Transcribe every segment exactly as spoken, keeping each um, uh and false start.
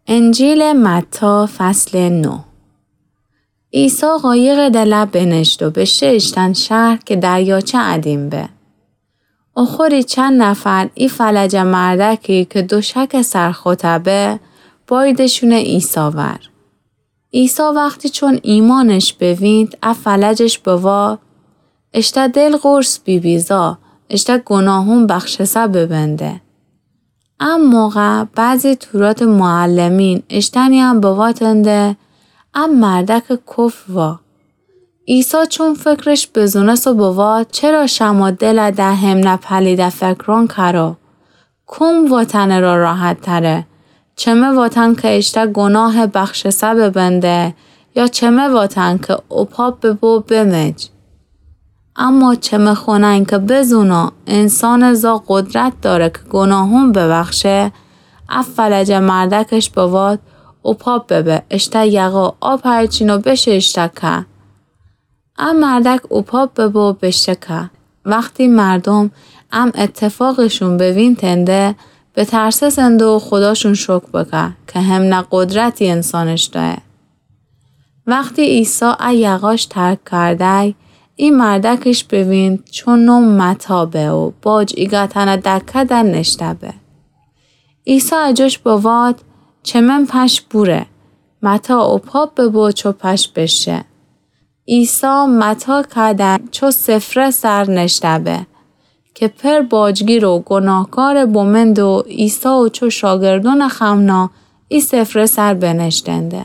انجیلٚ متی، فصلٚ نو. عیسی قایقٚ دلأ بنشت و بشه ایشتأن شهر کی دریاچه ادیم به. اوخوری چند نفر ای فلجه مردأکی کی دوشکٚ سر خوته به، بأییدشونه عیسی ور. عیسی وختی چون ایمأنش بوینید، ا فلجش بوات: اشته دل قرص بیبی، زا، اشته گوناهون بخشسه ببنده. ا موقع بعضی توراتٚ معلمین اشتأنیأن بواتنده: ا مردأکٚ کفر وا. عیسی چون فکرش بزونست و بوات: چرا شمأ دلأ ده همنه پلیده فکرأن کرو؟ کوم واتنٚ را راحت‌تره؟ چمه واتن کی اشته گوناهٚ بخشسه ببنده، یا چمه واتن کی اوپاپ ببو بمج؟ اما چمه خونن کی بزونو انسانٚ زا قدرت دأره کی گوناهون ببخشه، ا فلجه مردأکش بوات: اوپاپ ببه، اشته یقه آب هچین و بشه ایشته که. ا مردأک اوپاپ ببو بشه که. وختی مردوم ا اتفاقشون بوینتنده، بترسسنده و خوداشون شکر بکه کی همنه قدرتی انسانش دأیه. وختی عیسی ا یقاش ترک کردی، ای مردأکش بوینید چو نو متی به و باج ایگأتأنٚ دکه ده نشته به. عیسی اجوش بوات: چمن پش بوره. متی اوپاپ ببو چو پش بشه. عیسی متی کده چو سفره سر نشته به، کی پر باجگیر و گوناهکارٚ بومنده و عیسی و چو شاگردونٚ خمنا ای سفره سر بنشتنده.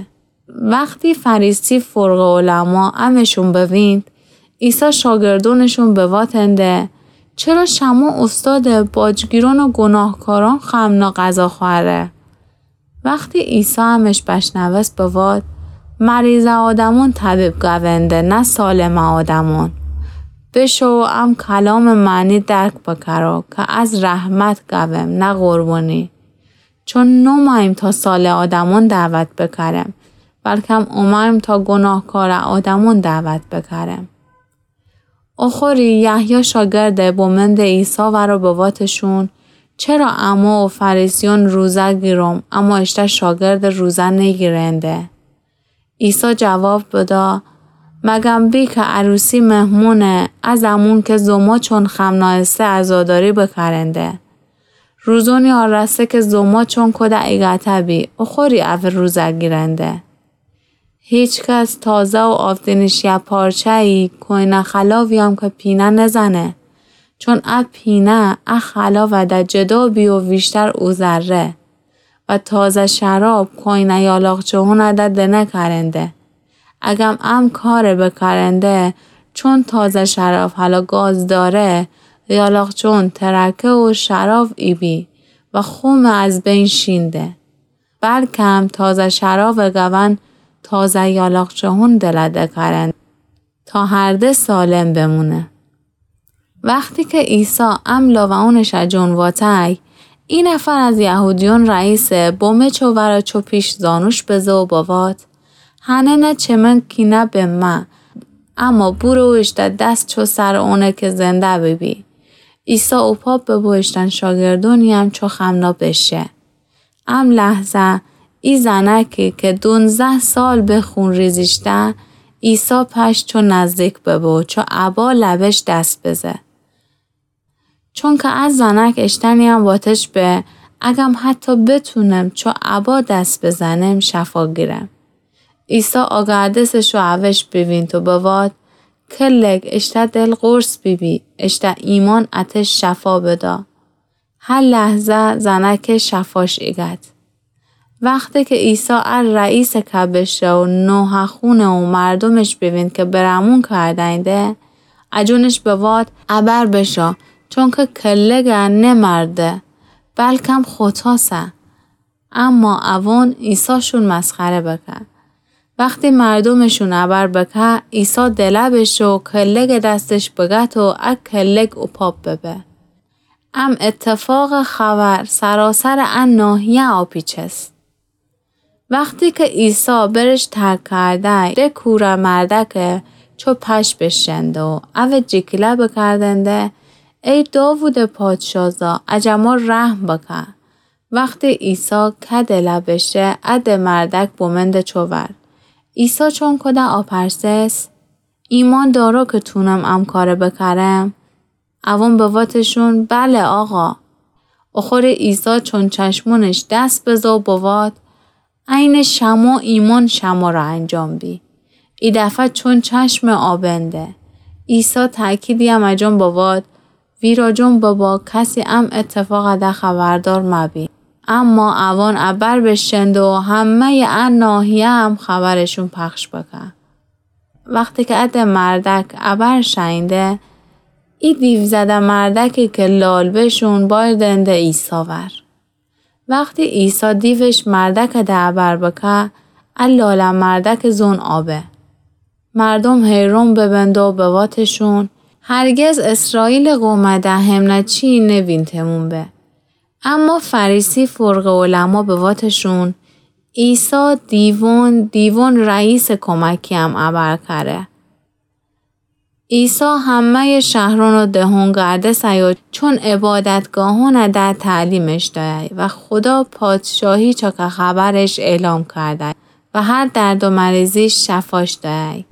وختی فریسی فرقه‌العلما امشون بوینید، عیسی شاگردونشون بواتنده: چرا شمو اوستادٚ باجگیرون و گوناهکارون خمنا غذا خوأره؟ وختی عیسی امش بشنوست بوات: مریضه آدمون طبیب گأونده، نه سالمه آدمون. بشو و ام کلامٚ معنی درک بکرو کی از رحمت گأوم، نه قربونی. چون نومأییم تا سالمه آدمون دعوت بکرم، بلکم اومأییم تا گوناهکارٚ آدمون دعوت بکرم. اوخوری یحیی شاگرده بومنده عیسی ور و بواتشون: چرا امو و فریسیون روزه گیروم، اما اشته شاگرد روزه نیگیرنده؟ عیسی جواب بدا: مگم بی کی عروسی مهمونه، ا زمون کی زوموچون خمنا ایسه عزاداری بکرنده؟ روزونی آراسه کی زوموچون کوده ایگأته بی، اوخوری اوه روزه گیرنده. هیچ کس تازه و آفتین شیه پارچه‌یی کوینه خلاویأم کی پینه نزنه، چون ا پینه ا خلاوه ده جدا بی و ویشتر اوزره. و تازه شراب کوینه یالاقچه‌هون ده دنکرنده. اگم ام کاره بکرنده، چون تازه شراب هلا گاز دأره، یالاقچه‌هون ترکه و شراب ایبی و خومه از بین شینده. بلکم تازه شرابٚ گون تازه یالاقچه‌هون دلأ دکرنده، تا هر ده سالم بمونه. وختی کی عیسی ام لاوه‌ونشأ جون واتی، ای نفر از یهودیون رئیسه بومه چو ور و چو پیش زانوش بزه و بوات: هنه نه چمن کینه به مه، اما بورو و اشته دس چو سرٚ اونه کی زنده بیبی. عیسی اوپاپ ببو، اشتأن شاگردونی‌یم چو خمنا بشه. ام لحظه ای زنأکی کی دونزده سال به خونریزی ایسه، عیسی پش چو نزدیک ببو، چو ابا لبش دس بزه. چونکی ا زنأک اشتأنی‌یم واتش به، اگم حتی بتونم چو ابا دس بزنم، شفا گیرم. عیسی آگردسش و اوش بیوینت و بوات: کلک اشته دل قرص بیبی، اشته ایمأن اتش شفا بدا. هه لحظه زنأک شفاش ایگد. وختی کی عیسی ا رئیسٚ که بشه و نوحه‌خونه و مردومش بیوینت کی بره‌مون کرده‌اینده، اجونش بوات: ابر بشا، چونکی کلکه نمرده، بلکم خوتاسه. اما اوون عیساشون مسخره بکه. وختی مردومشون ابر بکه، عیسی دلأ بشه و کلکٚ دستش بگت و ا کلک اوپاپ ببه. ام اتفاقٚ خبر سراسرٚ ا ناحیه آپیچست. وختی کی عیسی برش ترک کرده، ده کورٚ مردأکه چو پش بشنده و اوه جیکیله بکردنده: ای داوودٚ پادشاه زا، اجه ما رحم بکه. وختی عیسی کدٚ لأ بشه، ا ده مردأک بمنده چوور. عیسی چون کوده آپرسس: ایمأن دأرو که تونم امه کاره بکرم؟ اوأن بوتشون: بله، آقا. اوخوری عیسی چون چشمونش دس بزه و بوات: عینٚ شمو ایمأن شمره انجام بی. ایدفعه چون چشمٚ آ بنده. عیسی تأکیدی امه جون بوات: ویراجون ببا، کسی امه اتفاقٚ ده خبردار مبی. اما اوأن ابر بشکنده و همه‌یٚ ا ناحیه امه خبرشون پخش بکه. وختی که ا ده مردأک ابر شنیده، ای دیوزده مردأکی که لال بشون بأوردنده عیسی ور. وختی عیسی دیوش مردأکٚ ده ابر بکه، ا لاله مردأکٚ زون آبه. مردوم حیرون ببنده و بوتشون: هرگز اسرائیلٚ قومٚ ده همنه چیی نبینتمون به. اما فریسی فرقٚ علما بوتشون: عیسی دیوون، دیوون رئیسٚ کمکی امه ابر کره. عیسی همه‌یٚ شهرون و دهون گردسه‌یی و چون عبادتگاهونٚ ده تعلیمش دأیی و خودا پادشاهی چاکه خبرش اعلام کردی و هر درد و مریضی شفاش دأیی.